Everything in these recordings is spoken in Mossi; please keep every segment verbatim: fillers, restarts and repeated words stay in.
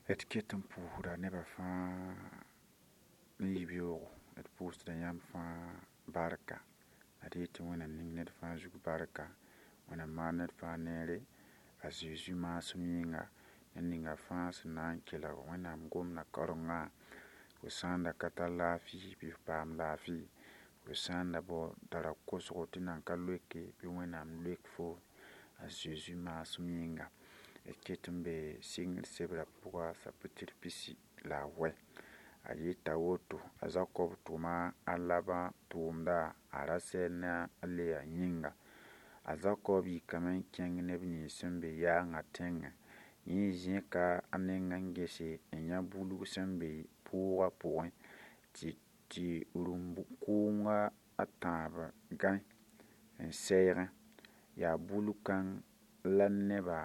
D ket n pʋʋsda nebã fãa n yi beoogo d pʋʋsda yãmb fãa barka la d yetɩ Wẽnnaam ning ned fãa zug barka Wẽnnaam maan ned fãa neere a Zeezi maasem yĩnga ned ninga fãa sẽn na n kelg Wẽnnaam gomdã karengã fo sã n da ka tar laafɩ bɩ f paam laafɩ fo sã n da bao tara kosgo tɩ nan ka loeke bɩ Wẽnnaam loek fo a Zeezi maasem yĩnga d ket n be sɩngr sebrã pʋga sapitr pisi la a wɛ a yeta woto a Zakɔb tʋma a Laban tʋʋmda a Rasɛl ne a Leya yĩnga a Zakɔb yikame n kẽng neb nins sẽn be yaangã tẽngẽ yẽ zẽka a neng n gese n yã bulg sẽn be pʋʋgã pʋgẽ tɩ tɩ rũmb kʋʋnga a tãab gãe n sɛɛgẽ yaa bulg kãng la nebã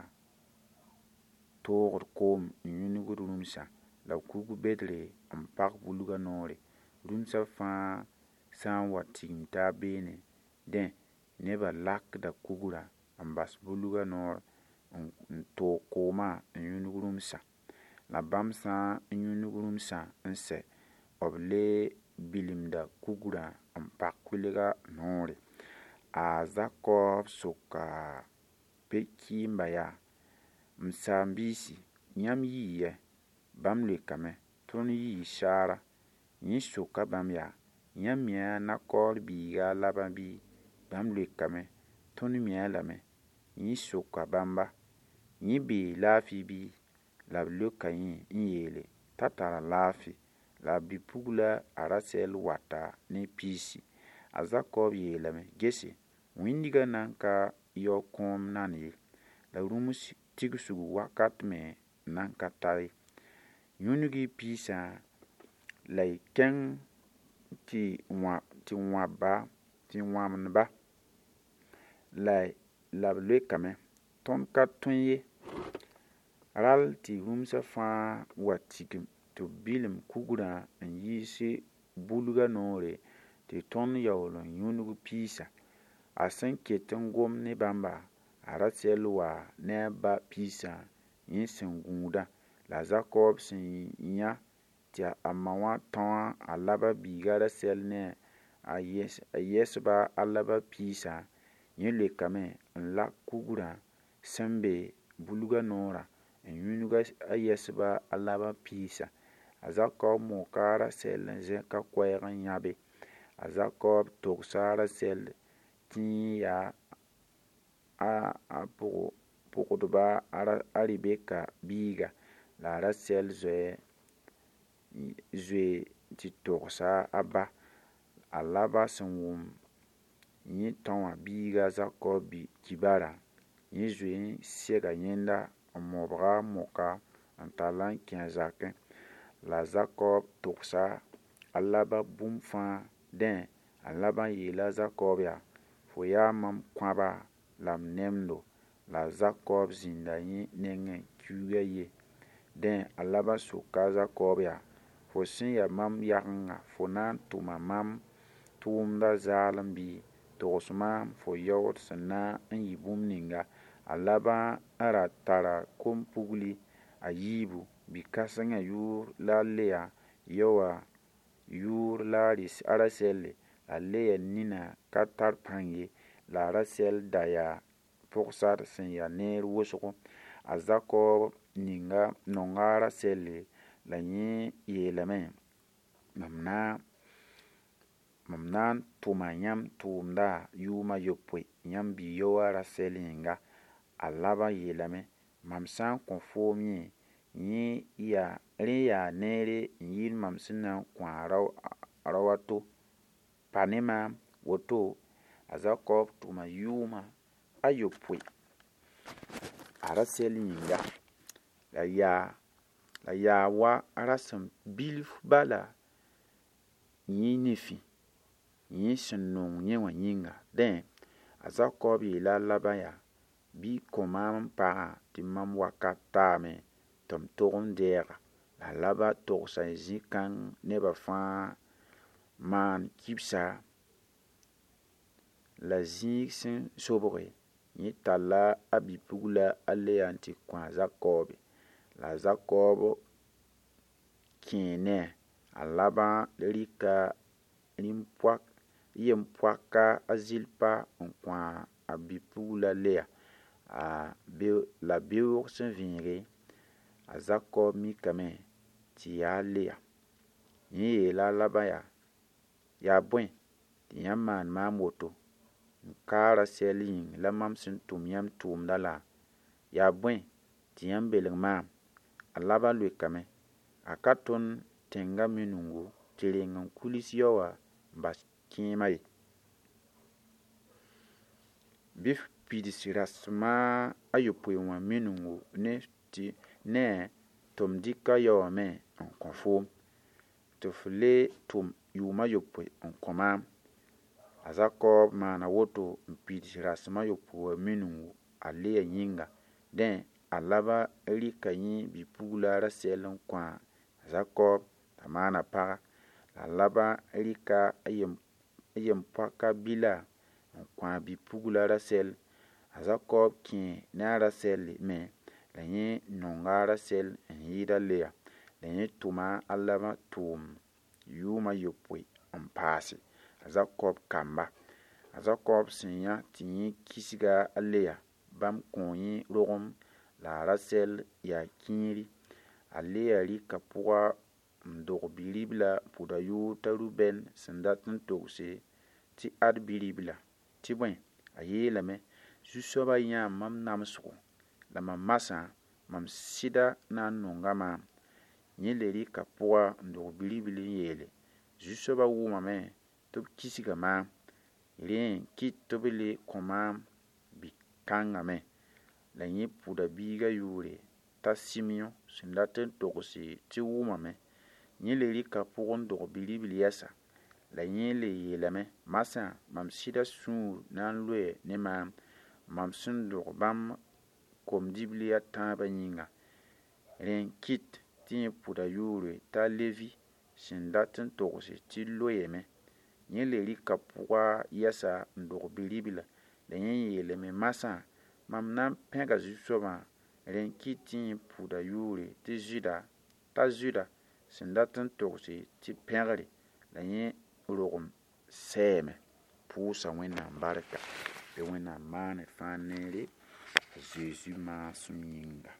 toogd koom n yũnugd rũmsã la kug bedre n pag bulgã noore rũmsã fãa sã n wa tigim taab beene dẽ nebã lakda kugrã n bas bulgã noor n toog koomã n yũnug rũmsã la bãmb sã n yũnug rũmsã n sɛ b le bilimda kugrã n pag kʋɩlga noore a Zakɔb soka pe-kɩɩmba yaa m saam-biisi yãmb yii yɛ bãmb leokame tõnd yii saara yẽ soka bãmb yaa yãmb mi-a Nakor biiga a Laban bɩ bãmb leokame tõnd mi-a lame yẽ soka bãmba yẽ bee laafɩ bɩ la b leoka yẽ n yeele t'a tara laafɩ la a bi-pugla a Rasɛl wata ne piisi a Zakɔb yeelame gese wĩndgã nan ka yao kõom nan ye la rũms tigsg wakat me nan ka ta ye yũnug-y piisã la y kẽng tɩ wãbba tɩ wãmdba la la b leokame tõnd ka tõe ye rall tɩ rũmsã fãa wa tigim tɩ b bilim kugrã n yiis bulgã noore tɩ tõnd yaool n yũnug piisã a sẽn ket n gom ne bãmba a Rasɛl wa ne a ba piisã yẽ sẽn gũudã la Zakɔb sẽn yã tɩ a ma wã tão a Laban biiga Rasɛl ne a yɛsba a Laban piisã yẽ leokame n lak kugrã sẽn be bulgã noorã n yũnug a yɛsba a Laban piisã a Zakɔb moka a Rasɛl n zẽk a koɛɛg n yãbe a Zakɔb togsa a Rasɛl tɩ yẽ yaa a pʋgdba a Rebeka biiga la a Rasɛl zoe zoe tɩ togsa a ba a Laban sẽn wʋm yẽ tão wã biiga Zakɔb kibarã yẽ zoe n sega yẽnda n mobga a moka n tall n kẽ a zakẽ la Zakɔb togsa a Laban bũmb fãa dẽ a Laban yeela a Zakɔb yaa fo yaa mam kõaba la m nemdo la Zakɔb zĩnda yẽ nengẽ kiuugã ye dẽ a Laban soka a Zakɔb yaa fo sẽn yaa mam yagenga fo na n tʋma mam tʋʋmda zaalem bɩ togs maam fo yaood sẽn na n yɩ bũmb ninga a Laban n ra tara kom-pugli a yiibu bi-kãsengã yʋʋr la a Leya yaoowã yʋʋr la a Rasɛlle la Leya nina ka tar pãng ye la a Rasɛl da yaa pʋgsar sẽn yaa neer wʋsgo a Zakɔb ninga nonga a Rasɛlle la yẽ yeelame mam na mam na n tʋma yãmb tʋʋmda yʋʋm a yopoe yãmb bi-yaoowã Rasɛl yĩnga a Laban yeelame mam sã n kõ foom yẽ yẽ yaa rẽ yaa neere n yɩɩd mam sẽn na n kõ a rao a to pa ne maam woto a Zakɔb tʋma yʋʋma a yopoe a Rasɛl yĩnga la yaa la yaa wa rasem bilf bala yẽ nifẽ yẽ sẽn nong yẽ wã yĩnga dẽ a Zakɔb yeela a Laban yaa bɩ kõ maam n pagã tɩ mam wakat taame tɩ m tog n deega la Laban togsa zĩ-kãng nebã fãa maan kibsa la zĩig sẽn sobge yẽ talla a bi-pugla a Leya n tɩ kõ a Zakɔbe la Zakɔb kẽe ne a Laban rɩka yem-poaka a Zilpa n kõ a bi-pugla Leya la beoog sẽn vẽege a Zakɔb mikame tɩ yaa Leya. Yẽ yeela a Laban yaa: Yaa bõe tɩ yãmb maan maam woto n ka a Rasɛl yĩng la mam sẽn tʋm yãmb tʋʋmdã laa? Yaa bõe tɩ yãmb belg maam? A Laban leokame: A ka tõnd tẽngã minungu tɩ reng n kuls yao wã n bas kẽemã ye. Bɩ f pids rasem a yopoe wã minungu ne tɩ m dɩk a yao wã me n kõ foom, tɩ f le tʋm yʋʋm a yopoe n kõ maam. A Zakɔb maana woto n pids rasem a yopoe wã minungu a Leya yĩnga. Dẽ, a Laban rɩka yẽ bi-pugla a Rasɛl n kõ a Zakɔb t'a maan a paga. La a Laban rɩka a yem-poak a Bila n kõ a bi-pugla Rasɛl. A Zakɔb kẽe ne a Rasɛl me, la yẽ nonga a Rasɛl n yɩɩd a Leya. La yẽ tʋma a Laban tʋʋm yʋʋm a yopoe n paase a Zakɔb kamba. A Zakɔb sẽn yã tɩ yẽ kisga a Leya, bãmb kõo yẽ rogem la a Rasɛl yaa kĩiri. A Leya rɩka pʋga n dog bi-ribla n pʋd a yʋʋr t'a Rubɛn sẽn dat n togse tɩ ad bi-ribla. Tɩ bõe, a yeelame: Zu-soabã yãa mam namsgo la mam masã mam sɩda na n nonga maam. Yẽ le rɩka pʋga n dog bi-ribl n yeele: Zu-soabã wʋmame tɩ b kisga maam, rẽ n kɩt tɩ b le kõ maam bi-kãngã me. La yẽ pʋda biigã yʋʋre t'a Sɩmyõ sẽn dat n togse tɩ wʋmame. Yẽ le rɩka pʋg n dog bi-ribl yɛsa. La yẽ le yeelame: Masã mam sɩda sũur na n loe ne maam, mam sẽn dog bãmb kom-dibli a tãabã yĩnga. Rẽ n kɩt tɩ yẽ pʋda yʋʋre t'a Levi sẽn dat n togse tɩ loeeme. Yẽ le rɩka pʋga yɛsa n dog bi-ribla. La yẽ yeelame: Masã mam na n pẽga Zu-soabã. Rẽ n kɩt tɩ yẽ pʋda yʋʋre tɩ Zʋda t'a Zʋda sẽn dat n togse tɩ pẽgre. La yẽ rogem sɛɛme. Pʋʋsa Wẽnnaam barka bɩ Wẽnnaam maan d fãa neere a Zeezi maasem yĩnga.